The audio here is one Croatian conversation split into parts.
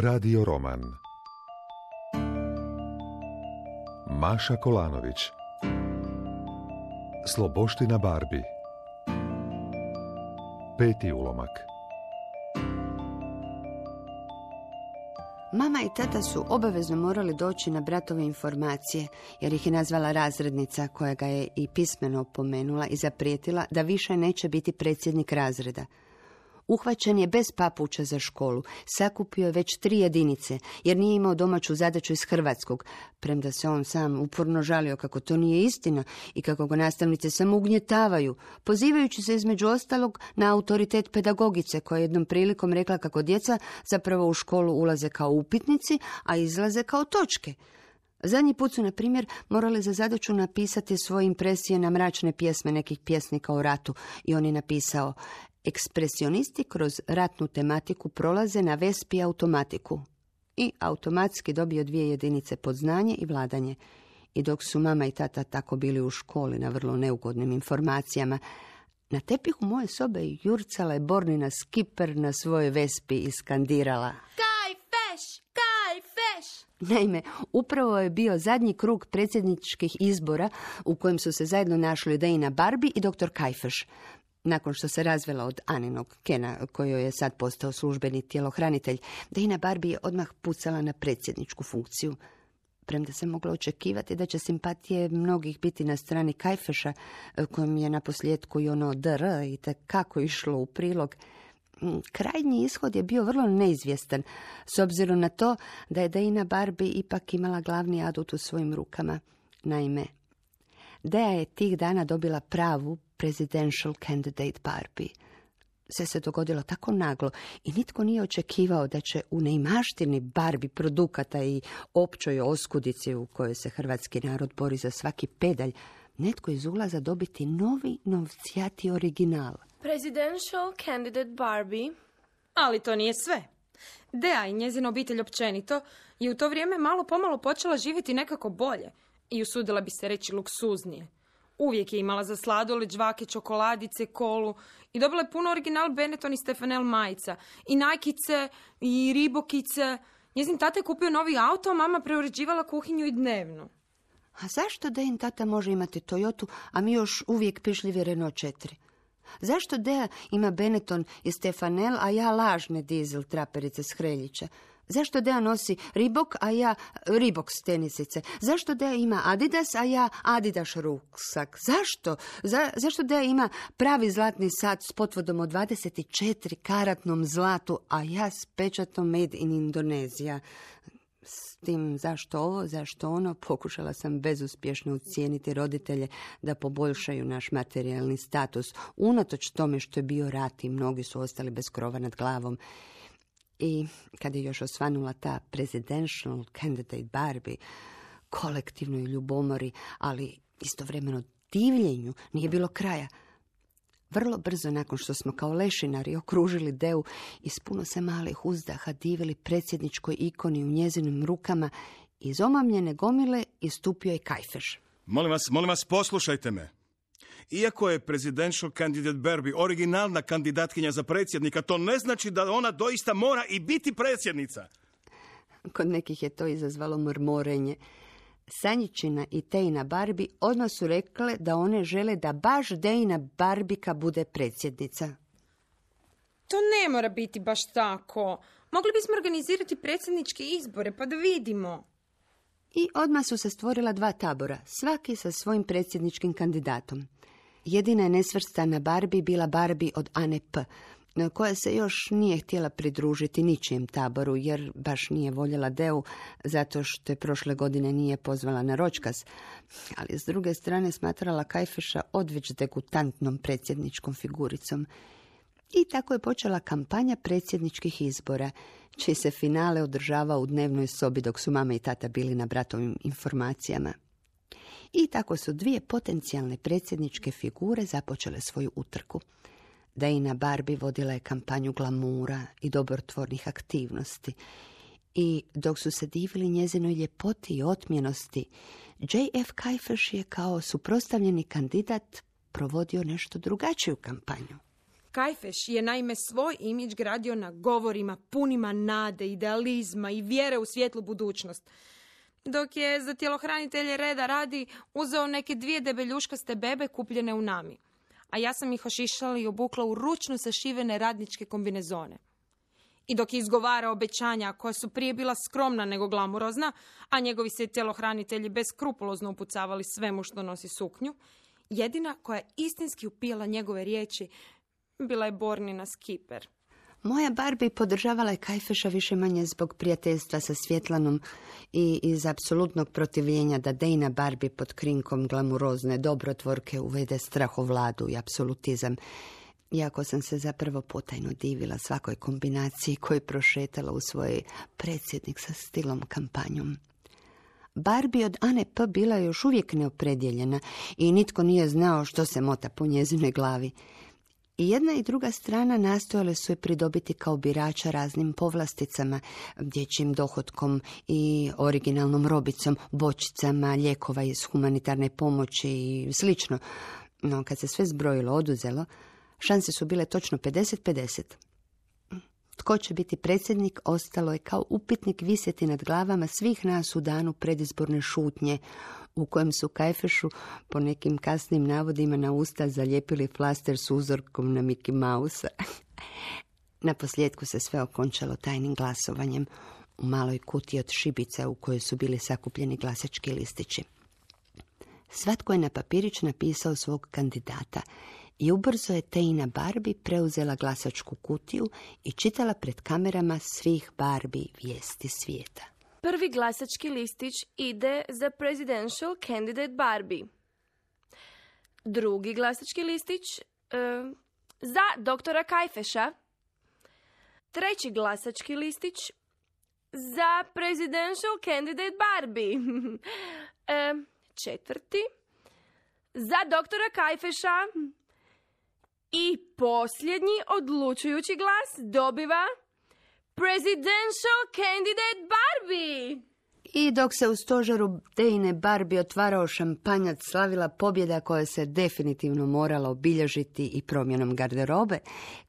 Radio roman Maša Kolanović, Sloboština Barbie, 5. ulomak. Mama i tata su obavezno morali doći na bratove informacije, jer ih je nazvala razrednica, koja ga je i pismeno opomenula i zaprijetila da više neće biti predsjednik razreda. Uhvaćen je bez papuča za školu, sakupio je već 3 jedinice, jer nije imao domaću zadaću iz hrvatskog, premda se on sam uporno žalio kako to nije istina i kako ga nastavnice samo ugnjetavaju, pozivajući se između ostalog na autoritet pedagogice, koja je jednom prilikom rekla kako djeca zapravo u školu ulaze kao upitnici, a izlaze kao točke. Zadnji put su, na primjer, morali za zadaću napisati svoje impresije na mračne pjesme nekih pjesnika o ratu i on je napisao: ekspresionisti kroz ratnu tematiku prolaze na Vespi automatiku. I automatski dobio 2 jedinice pod znanje i vladanje. I dok su mama i tata tako bili u školi na vrlo neugodnim informacijama, na tepihu moje sobe jurcala je Bornina Skiper na svojoj Vespi i skandirala: Kaj feš! Kaj feš! Naime, upravo je bio zadnji krug predsjedničkih izbora u kojem su se zajedno našli Dejna Barbie i dr. Kajfeš. Nakon što se razvela od Aninog Kena, kojoj je sad postao službeni tjelohranitelj, Dejna Barbie je odmah pucala na predsjedničku funkciju. Premda se moglo očekivati da će simpatije mnogih biti na strani Kajfeša, kojem je naposljetku i ono dr i tekako išlo u prilog, krajnji ishod je bio vrlo neizvjestan, s obzirom na to da je Dejna Barbie ipak imala glavni adut u svojim rukama. Naime, Deja je tih dana dobila pravu presidential candidate Barbie. Sve se dogodilo tako naglo i nitko nije očekivao da će u neimaštini Barbie produkata i općoj oskudici u kojoj se hrvatski narod bori za svaki pedalj, netko iz ulaza dobiti novi novcijati original. Presidential candidate Barbie. Ali to nije sve. Deja i njezina obitelj općenito je u to vrijeme malo pomalo počela živjeti nekako bolje i usudila bi se reći luksuznije. Uvijek je imala za sladoled, žvake, čokoladice, kolu i dobila je puno original Benetton i Stefanel majica i Nike'ice i Reebokice. Njezin tata je kupio novi auto, a mama preuređivala kuhinju i dnevnu. A zašto Dejin tata može imati Toyotu, a mi još uvijek pišljivi Renault 4? Zašto Deja ima Benetton i Stefanel, a ja lažne dizel traperice s Hreljića? Zašto Deja nosi Reebok, a ja Reebok tenisice? Zašto Deja ima Adidas, a ja Adidas ruksak? Zašto? Zašto Deja ima pravi zlatni sat s potvrđom od 24 karatnom zlatu, a ja s pečatom Made in Indonezija? S tim zašto ovo, zašto ono, pokušala sam bezuspješno ucijeniti roditelje da poboljšaju naš materijalni status, unatoč tome što je bio rat i mnogi su ostali bez krova nad glavom. I kad je još osvanula ta presidential candidate Barbie, kolektivnoj ljubomori, ali istovremeno divljenju, nije bilo kraja. Vrlo brzo nakon što smo kao lešinari okružili Deju i s puno se malih uzdaha divili predsjedničkoj ikoni u njezinim rukama, iz omamljene gomile istupio je Kajfeš. Molim vas, poslušajte me. Iako je presidential candidate Barbie originalna kandidatkinja za predsjednika, to ne znači da ona doista mora i biti predsjednica. Kod nekih je to izazvalo mrmorenje. Sanjičina i Tejna Barbie odmah su rekle da one žele da baš Dejna Barbika bude predsjednica. To ne mora biti baš tako. Mogli bismo organizirati predsjedničke izbore pa da vidimo. I odmah su se stvorila 2 tabora, svaki sa svojim predsjedničkim kandidatom. Jedina je nesvrstana Barbie bila Barbie od Ane P., koja se još nije htjela pridružiti ničijem taboru, jer baš nije voljela Deju, zato što je prošle godine nije pozvala na ročkaz, ali s druge strane smatrala Kajfeša odveć degutantnom predsjedničkom figuricom. I tako je počela kampanja predsjedničkih izbora, čiji se finale održavao u dnevnoj sobi dok su mama i tata bili na bratovim informacijama. I tako su 2 potencijalne predsjedničke figure započele svoju utrku. Dejna Barbie vodila je kampanju glamura i dobrotvornih aktivnosti. I dok su se divili njezinoj ljepoti i otmjenosti, J.F. Kajfeš je kao suprotstavljeni kandidat provodio nešto drugačiju kampanju. Kajfeš je naime svoj imidž gradio na govorima punima nade, idealizma i vjere u svijetlu budućnost. Dok je za tjelohranitelje reda radi uzeo neke 2 debeljuškaste bebe kupljene u Nami. A ja sam ih ošišala i obukla u ručno sašivene radničke kombinezone. I dok je izgovarao obećanja koja su prije bila skromna nego glamurozna, a njegovi se tjelohranitelji beskrupulozno upucavali svemu što nosi suknju, jedina koja je istinski upijala njegove riječi bila je Bornina Skiper. Moja Barbie podržavala je Kajfeša više manje zbog prijateljstva sa Svjetlanom i iz apsolutnog protivljenja da Dejna Barbie pod krinkom glamurozne dobrotvorke uvede strahovladu i apsolutizam, iako sam se zapravo potajno divila svakoj kombinaciji koju prošetala u svojoj predsjednik sa stilom kampanjom. Barbie od Ane P. bila je još uvijek neopredjeljena i nitko nije znao što se mota po njezinoj glavi. I jedna i druga strana nastojale su je pridobiti kao birača raznim povlasticama, dječjim dohotkom i originalnom robicom, bočicama, lijekova iz humanitarne pomoći i slično. No, kad se sve zbrojilo, oduzelo, šanse su bile točno 50-50. Tko će biti predsjednik ostalo je kao upitnik visjeti nad glavama svih nas u danu predizborne šutnje, u kojem su Kajfešu po nekim kasnim navodima na usta zalijepili flaster s uzorkom na Mickey Mouse. Na posljedku se sve okončalo tajnim glasovanjem u maloj kutiji od šibica u kojoj su bili sakupljeni glasački listići. Svatko je na papirić napisao svog kandidata i ubrzo je Tejna Barbie preuzela glasačku kutiju i čitala pred kamerama svih Barbie vijesti svijeta. Prvi glasački listić ide za presidential candidate Barbie. Drugi glasački listić za doktora Kajfeša. Treći glasački listić za presidential candidate Barbie. Četvrti za doktora Kajfeša. I posljednji odlučujući glas dobiva presidential candidate Barbie. I dok se u stožeru Dejne Barbie otvarao šampanjac, slavila pobjeda koja se definitivno morala obilježiti i promjenom garderobe,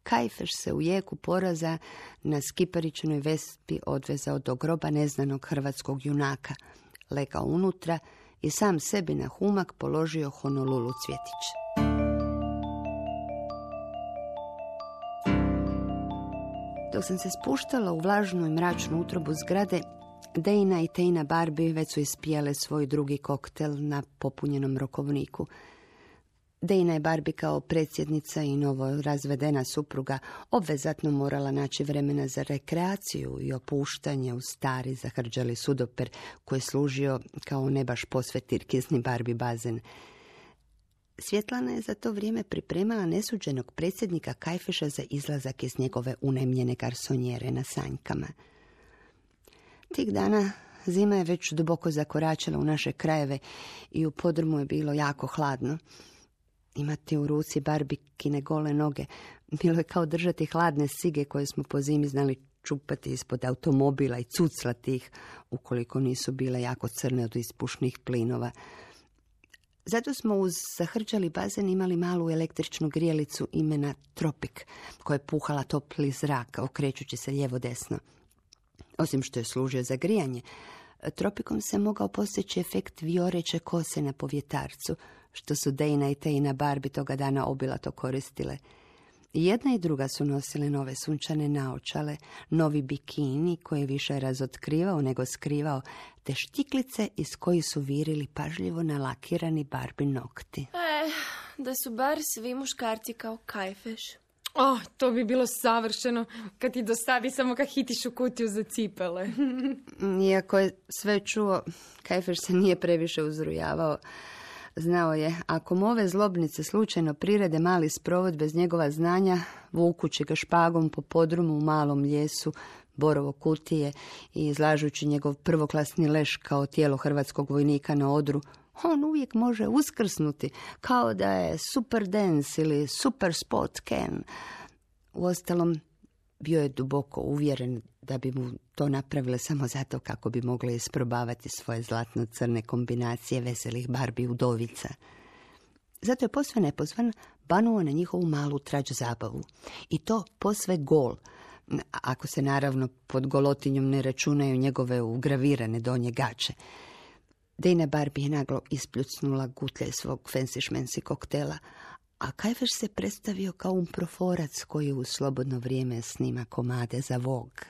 Kajfeš se u jeku poraza na skiparičnoj vespi odvezao do groba neznanog hrvatskog junaka, legao unutra i sam sebi na humak položio Honolulu cvjetić. Dok sam se spuštala u vlažnu i mračnu utrobu zgrade, Dejna i Tejna Barbie već su ispijale svoj drugi koktel na popunjenom rokovniku. Dejna je Barbie kao predsjednica i novo razvedena supruga obvezatno morala naći vremena za rekreaciju i opuštanje u stari zahrđali sudoper koji je služio kao ne baš posve tirkizni Barbie bazen. Svjetlana je za to vrijeme pripremala nesuđenog predsjednika Kajfeša za izlazak iz njegove unajmljene garsonjere na Sanjkama. Tih dana zima je već duboko zakoračila u naše krajeve i u podrumu je bilo jako hladno. Imati u ruci Barbikine gole noge bilo je kao držati hladne sige koje smo po zimi znali čupati ispod automobila i cuclati ih ukoliko nisu bile jako crne od ispušnih plinova. Zato smo uz zahrđali bazen imali malu električnu grijelicu imena Tropik, koja je puhala topli zrak, okrećući se lijevo-desno. Osim što je služio za grijanje, Tropikom se mogao postići efekt vioreće kose na povjetarcu, što su Dejna i Tejna Barbie toga dana obilato koristile. Jedna i druga su nosile nove sunčane naočale, novi bikini koji je više razotkrivao nego skrivao, te štiklice iz kojih su virili pažljivo nalakirani Barbie nokti. Da su bar svi muškarci kao Kajfeš. To bi bilo savršeno kad ti dostavi samo kad hitiš u kutiju za cipele. Iako je sve čuo, Kajfeš se nije previše uzrujavao. Znao je, ako mu ove zlobnice slučajno prirede mali sprovod bez njegova znanja, vukući ga špagom po podrumu u malom ljesu, borovo kutije i izlažući njegov prvoklasni leš kao tijelo hrvatskog vojnika na odru, on uvijek može uskrsnuti kao da je super dance ili super spot Ken. Uostalom, bio je duboko uvjeren da bi mu to napravile samo zato kako bi mogle isprobavati svoje zlatno-crne kombinacije veselih Barbie udovica. Zato je posve nepozvan banuo na njihovu malu trač zabavu. I to posve gol, ako se naravno pod golotinjom ne računaju njegove ugravirane donje gače. Dejna Barbie je naglo ispljucnula gutlje svog fancy šmensi koktela, a Kajfeš se predstavio kao umproforac koji u slobodno vrijeme snima komade za Vogue.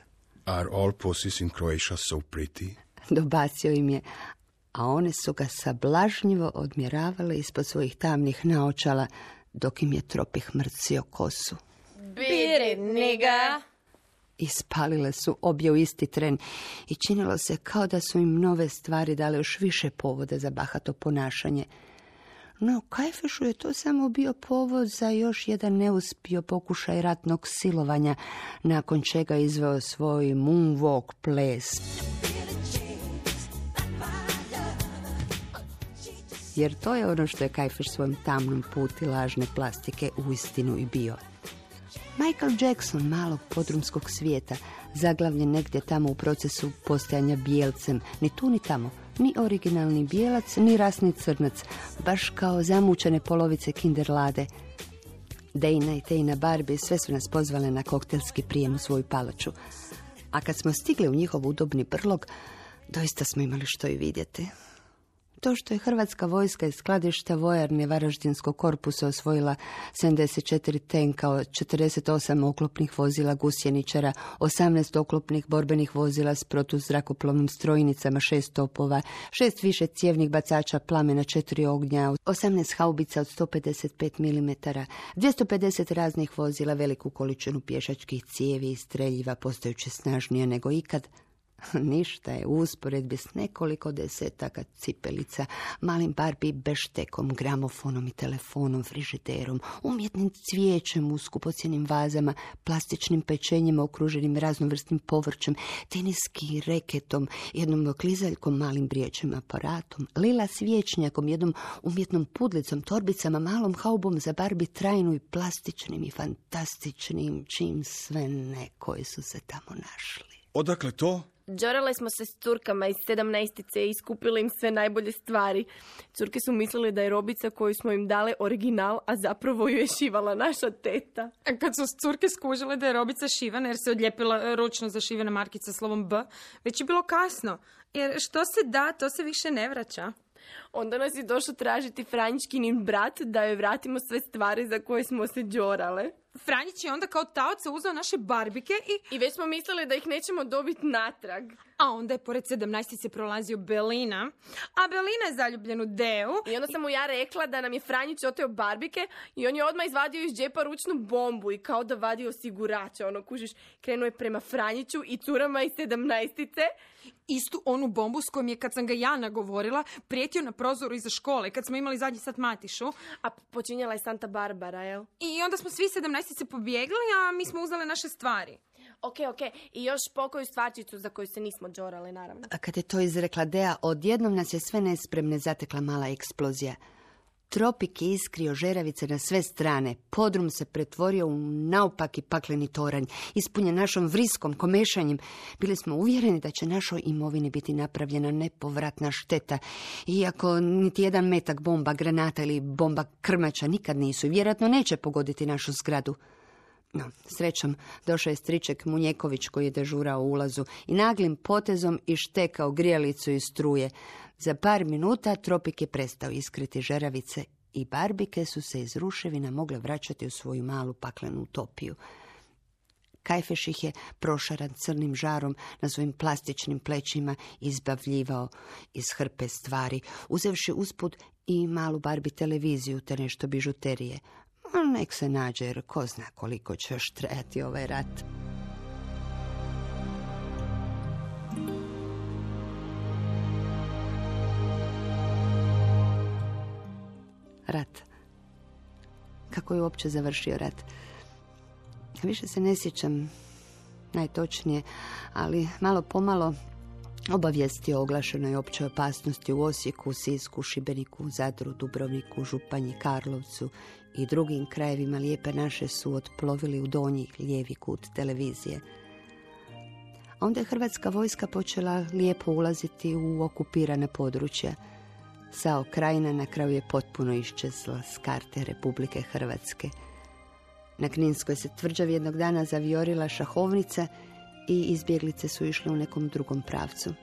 Are all pussies in Croatia so pretty? Dobacio im je, a one su ga sablažnjivo odmjeravale ispod svojih tamnih naočala, dok im je Tropih mrcio kosu. Beat it, nigga! Ispalile su obje u isti tren i činilo se kao da su im nove stvari dale još više povode za bahato ponašanje. No, Kajfešu je to samo bio povod za još jedan neuspio pokušaj ratnog silovanja, nakon čega je izveo svoj moonwalk ples. Jer to je ono što je Kajfeš svojom tamnom puti lažne plastike uistinu i bio. Michael Jackson malog podrumskog svijeta, zaglavljen negdje tamo u procesu postajanja bijelcem, ni tu ni tamo, ni originalni bijelac, ni rasni crnac, baš kao zamučene polovice kinderlade. Dejna i Tejna Barbie sve su nas pozvale na koktelski prijem u svoju palaču. A kad smo stigli u njihov udobni brlog, doista smo imali što i vidjeti. To što je hrvatska vojska iz skladišta vojarne Varaždinskog korpusa osvojila 74 tenka, 48 oklopnih vozila gusjeničara, 18 oklopnih borbenih vozila s protuzrakoplovnim strojnicama, 6 topova, 6 više cijevnih bacača plamena 4 ognja, 18 haubica od 155 mm, 250 raznih vozila, veliku količinu pješačkih cijevi i streljiva postajući snažnije nego ikad. Ništa je u usporedbi s nekoliko desetaka cipelica, malim Barbie beštekom, gramofonom i telefonom, frižiderom, umjetnim cvijećem u skupocjenim vazama, plastičnim pečenjima okruženim raznovrsnim povrćem, teniskim reketom, jednom klizaljkom, malim briječim aparatom, lila svječnjakom, jednom umjetnom pudlicom, torbicama, malom haubom za Barbie trajnu i plastičnim i fantastičnim, čim sve ne koji su se tamo našli. Odakle to? Đorale smo se s curkama iz 17-ice i iskupili im sve najbolje stvari. Curke su mislili da je robica koju smo im dale original, a zapravo ju je šivala naša teta. A kad su curke skužile da je robica šivana jer se odlijepila ručno zašivena markica slovom B, već je bilo kasno. Jer što se da, to se više ne vraća. Onda nas je došao tražiti Franjičkinin brat da joj vratimo sve stvari za koje smo se đorale. Franjić je onda kao taoca uzeo naše barbike I već smo mislili da ih nećemo dobiti natrag. A onda je pored 17-ice prolazio Belina, a Belina je zaljubljen u Deu. I onda sam mu ja rekla da nam je Franjić oteo barbike i on je odmah izvadio iz džepa ručnu bombu i kao da vadi osigurača. Kužiš, krenuo je prema Franjiću i curama iz 17-ice. Istu onu bombu s kojom je, kad sam ga ja nagovorila, prijetio na prozoru iza škole, kad smo imali zadnji sat Matišu. A počinjala je Santa Barbara, jel? I onda smo svi 17-ice pobjegli, a mi smo uzeli naše stvari. Ok. I još pokoju stvarčicu za koju se nismo đorali, naravno. A kad je to izrekla Dea, odjednom nas je sve nespremne zatekla mala eksplozija. Tropik je iskrio žeravice na sve strane. Podrum se pretvorio u naopaki pakleni toranj, ispunjen našom vriskom, komešanjem. Bili smo uvjereni da će našoj imovini biti napravljena nepovratna šteta. Iako niti jedan metak bomba, granata ili bomba krmača nikad nisu i vjerojatno neće pogoditi našu zgradu. No, srećom, došao je striček Munjeković koji je dežurao u ulazu i naglim potezom ištekao grijalicu iz struje. Za par minuta Tropik je prestao iskriti žeravice i barbike su se iz ruševina mogle vraćati u svoju malu paklenu utopiju. Kajfeš ih je prošaran crnim žarom na svojim plastičnim plećima izbavljivao iz hrpe stvari, uzevši usput i malu Barbie televiziju te nešto bižuterije. Nek se nađe, jer ko zna koliko će još trajati ovaj rat. Rat. Kako je uopće završio rat? Više se ne sjećam najtočnije, ali malo pomalo obavijesti o oglašenoj općoj opasnosti u Osijeku, Sisku, Šibeniku, Zadru, Dubrovniku, Županji, Karlovcu i drugim krajevima Lijepe naše su otplovili u donji lijevi kut televizije. A onda je hrvatska vojska počela lijepo ulaziti u okupirane područja. Sao Krajina na kraju je potpuno iščezla s karte Republike Hrvatske. Na Kninskoj se tvrđavi jednog dana zavijorila šahovnica i izbjeglice su išle u nekom drugom pravcu.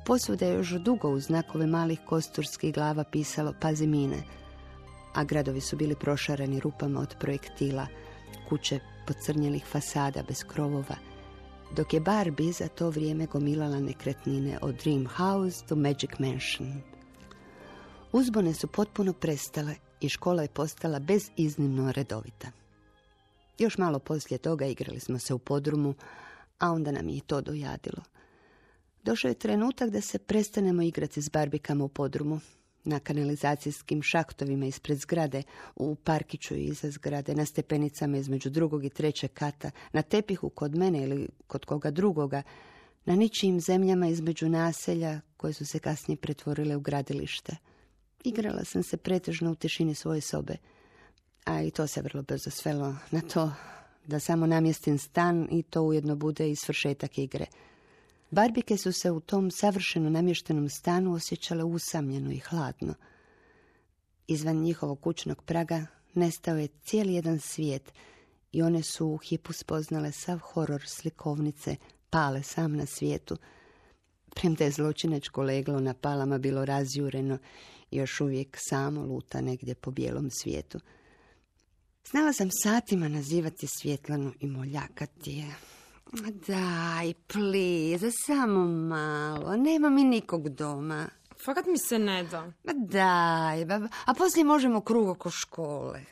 Posvuda je još dugo uz znakove malih kosturskih glava pisalo "Pazi mine", a gradovi su bili prošarani rupama od projektila, kuće pocrnjelih fasada bez krovova, dok je Barbie za to vrijeme gomilala nekretnine od Dream House do Magic Mansion. Uzbune su potpuno prestale i škola je postala beziznimno redovita. Još malo poslije toga igrali smo se u podrumu, a onda nam je i to dojadilo. Došao je trenutak da se prestanemo igrati s barbikama u podrumu, na kanalizacijskim šahtovima ispred zgrade, u parkiću iza zgrade, na stepenicama između 2. i 3. kata, na tepihu kod mene ili kod koga drugoga, na ničijim zemljama između naselja koje su se kasnije pretvorile u gradilište. Igrala sam se pretežno u tišini svoje sobe, a i to se vrlo brzo svelo na to da samo namjestim stan i to ujedno bude i svršetak igre. Barbike su se u tom savršeno namještenom stanu osjećale usamljeno i hladno. Izvan njihovog kućnog praga nestao je cijeli jedan svijet i one su u hipu spoznale sav horor slikovnice Pale sam na svijetu. Premda je zločinačko leglo na Palama bilo razjureno i još uvijek samo luta negdje po bijelom svijetu. Znala sam satima nazivati Svjetlanu i moljakati je. Daj, please, samo malo, nema mi nikog doma. Fakat mi se ne da. Daj, baba, a poslije možemo krug oko škole.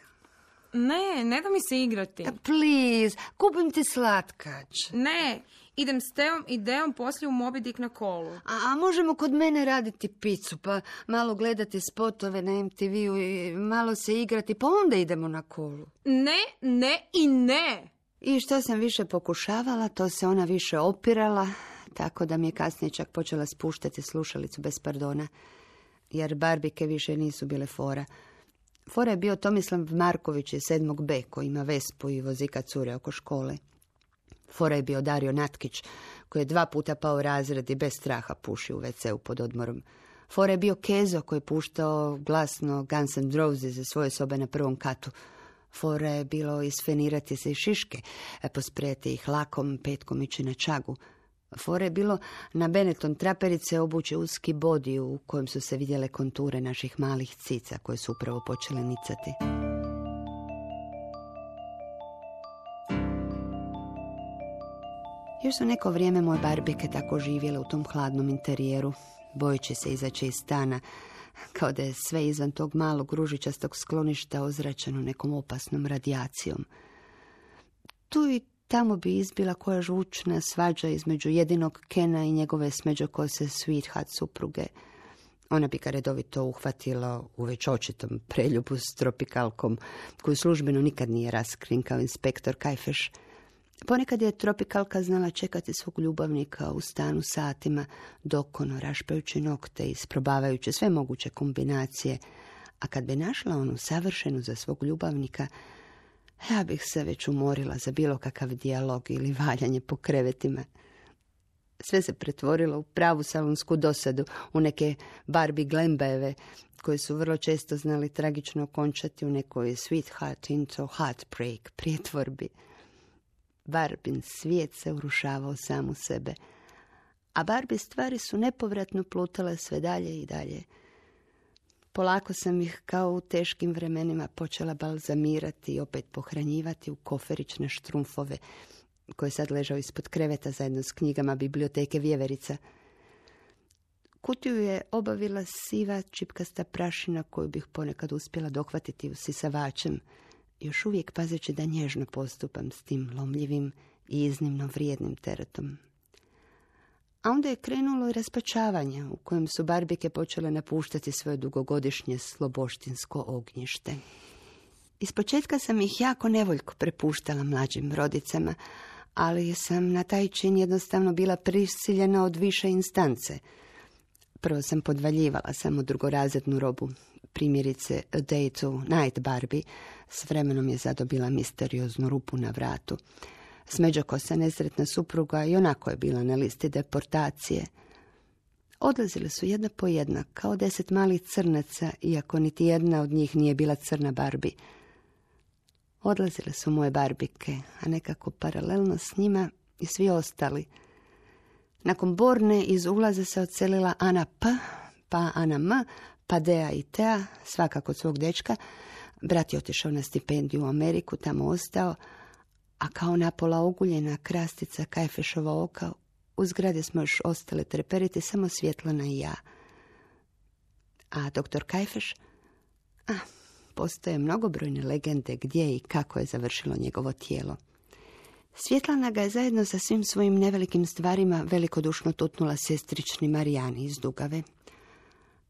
Ne da mi se igrati. Please, kupim ti slatkač. Ne, idem s Teom i Deom poslije u Moby Dick na kolu. A možemo kod mene raditi picu, pa malo gledati spotove na MTV-u i malo se igrati, pa onda idemo na kolu. Ne. I što sam više pokušavala, to se ona više opirala, tako da mi je kasnije čak počela spuštati slušalicu bez pardona, jer barbike više nisu bile fora. Fora je bio Tomislav Marković iz 7. B koji ima Vespu i vozika cure oko škole. Fora je bio Dario Natkić koji je 2 puta pao razred i bez straha puši u WC-u pod odmorom. Fora je bio Kezo koji je puštao glasno Guns N' Roses iz svoje sobe na 1. katu. Fora je bilo isfenirati se iz šiške, posprejati ih lakom, petkom ići na čagu. Fora je bilo na Benetton traperice obući uski bodi u kojem su se vidjele konture naših malih cica koje su upravo počele nicati. Još su neko vrijeme moje barbike tako živjele u tom hladnom interijeru, bojeći se izaći iz stana, kao da je sve izvan tog malog ružičastog skloništa ozračeno nekom opasnom radijacijom. Tu i tamo bi izbila koja žučna svađa između jedinog Kena i njegove smeđokose sweetheart supruge. Ona bi ga redovito uhvatila u već očitom preljubu s tropikalkom, koju službeno nikad nije raskrinkao inspektor Kajfeš. Ponekad je tropikalka znala čekati svog ljubavnika u stanu satima, dokono rašpajući nokte i isprobavajući sve moguće kombinacije, a kad bi našla onu savršenu za svog ljubavnika, ja bih se već umorila za bilo kakav dijalog ili valjanje po krevetima. Sve se pretvorilo u pravu salonsku dosadu, u neke Barbie glembajeve, koji su vrlo često znali tragično okončati u nekoj sweetheart into heartbreak prijetvorbi. Barbin svijet se urušavao sam u sebe, a Barbie stvari su nepovratno plutale sve dalje i dalje. Polako sam ih kao u teškim vremenima počela balzamirati i opet pohranjivati u koferične štrumfove, koje sad ležao ispod kreveta zajedno s knjigama biblioteke Vjeverica. Kutiju je obavila siva čipkasta prašina koju bih ponekad uspjela dohvatiti usisavačem, još uvijek pazeći da nježno postupam s tim lomljivim i iznimno vrijednim teretom. A onda je krenulo i raspačavanje u kojem su barbike počele napuštati svoje dugogodišnje sloboštinsko ognjište. Ispočetka sam ih jako nevoljko prepuštala mlađim rodicama, ali sam na taj čin jednostavno bila prisiljena od više instance. Prvo sam podvaljivala samo drugorazrednu robu, primjerice A Day to Night Barbie, s vremenom je zadobila misterioznu rupu na vratu. Smeđokosa nesretna supruga i onako je bila na listi deportacije. Odlazile su jedna po jedna, kao 10 malih crnaca, iako niti jedna od njih nije bila crna Barbie. Odlazile su moje barbike, a nekako paralelno s njima i svi ostali. Nakon Borne iz ulaza se odselila Ana P, pa Ana M, pa Dea i Tea, svaka kod svog dečka. Brat je otišao na stipendiju u Ameriku, tamo ostao, a kao napola oguljena krastica Kajfešova oka, u zgradi smo još ostale treperiti, samo Svjetlana i ja. A doktor Kajfeš? Postoje mnogobrojne legende gdje i kako je završilo njegovo tijelo. Svjetlana ga je zajedno sa svim svojim nevelikim stvarima velikodušno tutnula sestrični Marijani iz Dugave.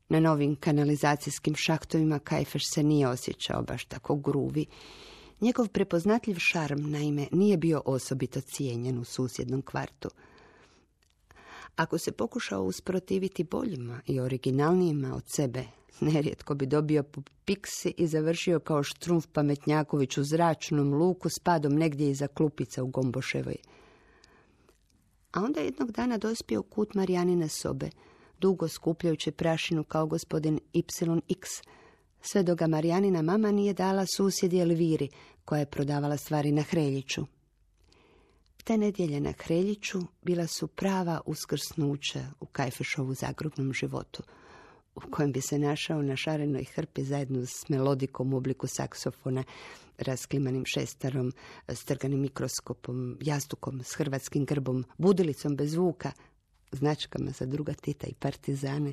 Na novim kanalizacijskim šahtovima Kajfeš se nije osjećao baš tako gruvi. Njegov prepoznatljiv šarm, naime, nije bio osobito cijenjen u susjednom kvartu. Ako se pokušao usprotiviti boljima i originalnijima od sebe, nerijetko bi dobio po piksi i završio kao Štrumf Pametnjaković u zračnom luku s padom negdje iza klupica u Gomboševoj. A onda jednog dana dospio u kut Marijanine sobe, dugo skupljajući prašinu kao gospodin YX, sve dok ga Marijanina mama nije dala susjedi Elviri, koja je prodavala stvari na Hreljiću. Te nedjelje na Hreljiću bila su prava uskrsnuća u Kajfešovu zagrobnom životu, u kojem bi se našao na šarenoj hrpi zajedno s melodikom u obliku saksofona, rasklimanim šestarom, strganim mikroskopom, jastukom s hrvatskim grbom, budilicom bez zvuka, značkama za druga Tita i partizane,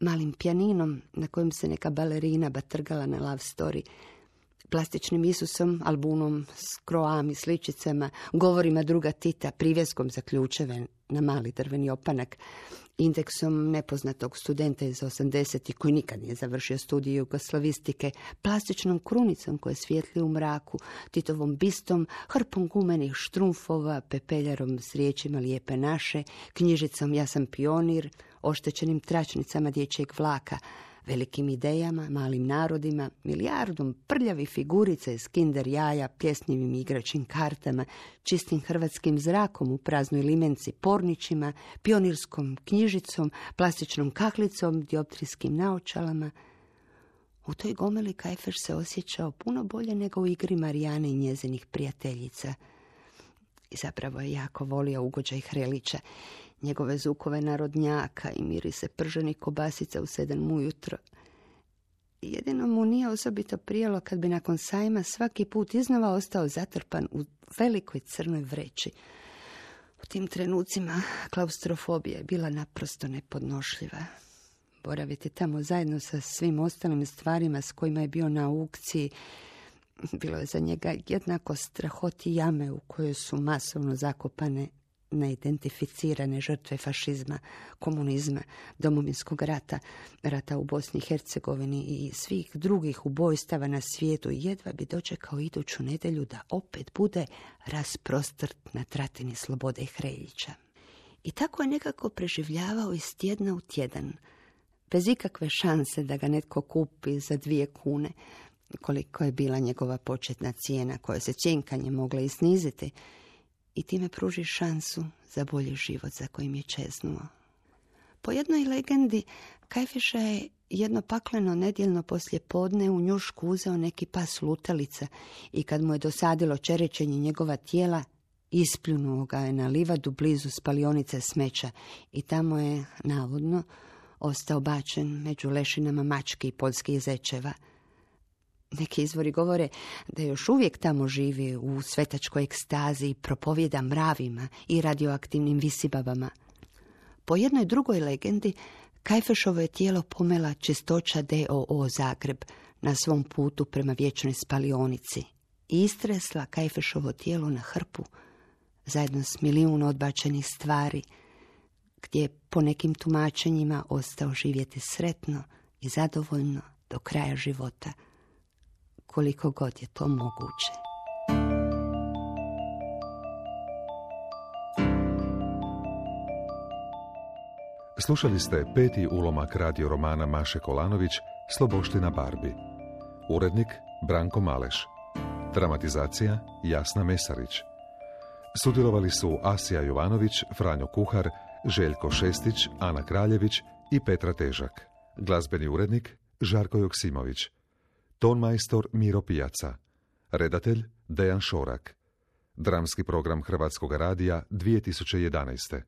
malim pijaninom na kojem se neka balerina batrgala na love story, plastičnim Isusom, albumom s kroam i sličicama, govorima druga Tita, privjeskom za ključeve na mali drveni opanak, indeksom nepoznatog studenta iz 80-ih koji nikad nije završio studij jugoslavistike, plastičnom krunicom koja svijetli u mraku, Titovom bistom, hrpom gumenih štrumfova, pepeljarom s riječima Lijepe naše, knjižicom Ja sam pionir, oštećenim tračnicama dječjeg vlaka, velikim idejama, malim narodima, milijardom prljavih figurica iz kinder jaja, pljesnivim igračim kartama, čistim hrvatskim zrakom u praznoj limenci, pornićima, pionirskom knjižicom, plastičnom kaklicom, dioptrijskim naočalama. U toj gomeli Kajfeš se osjećao puno bolje nego u igri Marijane i njezinih prijateljica. I zapravo je jako volio ugođaj Hrelića, njegove zukove narodnjaka i mirise prženih kobasica u 7 ujutro. Jedino mu nije osobito prijelo kad bi nakon sajma svaki put iznova ostao zatrpan u velikoj crnoj vreći. U tim trenucima klaustrofobija je bila naprosto nepodnošljiva. Boraviti tamo zajedno sa svim ostalim stvarima s kojima je bio na aukciji bilo je za njega jednako strahoti jame u kojoj su masovno zakopane neidentificirane žrtve fašizma, komunizma, domovinskog rata, rata u Bosni i Hercegovini i svih drugih ubojstava na svijetu i jedva bi dočekao iduću nedjelju da opet bude rasprostrt na tratini Slobode i Hreljića. I tako je nekako preživljavao iz tjedna u tjedan, bez ikakve šanse da ga netko kupi za 2 kune, koliko je bila njegova početna cijena koja se cjenkanje mogla i sniziti, i time pruži šansu za bolji život za kojim je čeznuo. Po jednoj legendi, Kajfeša je jedno pakleno nedjeljno poslijepodne u njušku uzeo neki pas lutalica i kad mu je dosadilo čerećenje njegova tijela, ispljunuo ga je na livadu blizu spalionice smeća i tamo je, navodno, ostao bačen među lešinama mački i poljskih zečeva. Neki izvori govore da još uvijek tamo živi u svetačkoj ekstazi i propovjeda mravima i radioaktivnim visibabama. Po jednoj drugoj legendi, Kajfešovo je tijelo pomela Čistoća d.o.o. Zagreb na svom putu prema vječnoj spalionici i istresla Kajfešovo tijelo na hrpu zajedno s milijun odbačenih stvari, gdje je po nekim tumačenjima ostao živjeti sretno i zadovoljno do kraja života, koliko god je to moguće. Slušali ste 5. ulomak radio romana Maše Kolanović Sloboština Barbie. Urednik Branko Maleš. Dramatizacija Jasna Mesarić. Sudjelovali su Asija Jovanović, Franjo Kuhar, Željko Šestić, Ana Kraljević i Petra Težak. Glazbeni urednik Žarko Joksimović. Tonmajstor Miro Pijaca. Redatelj Dejan Šorak. Dramski program Hrvatskog radija 2011.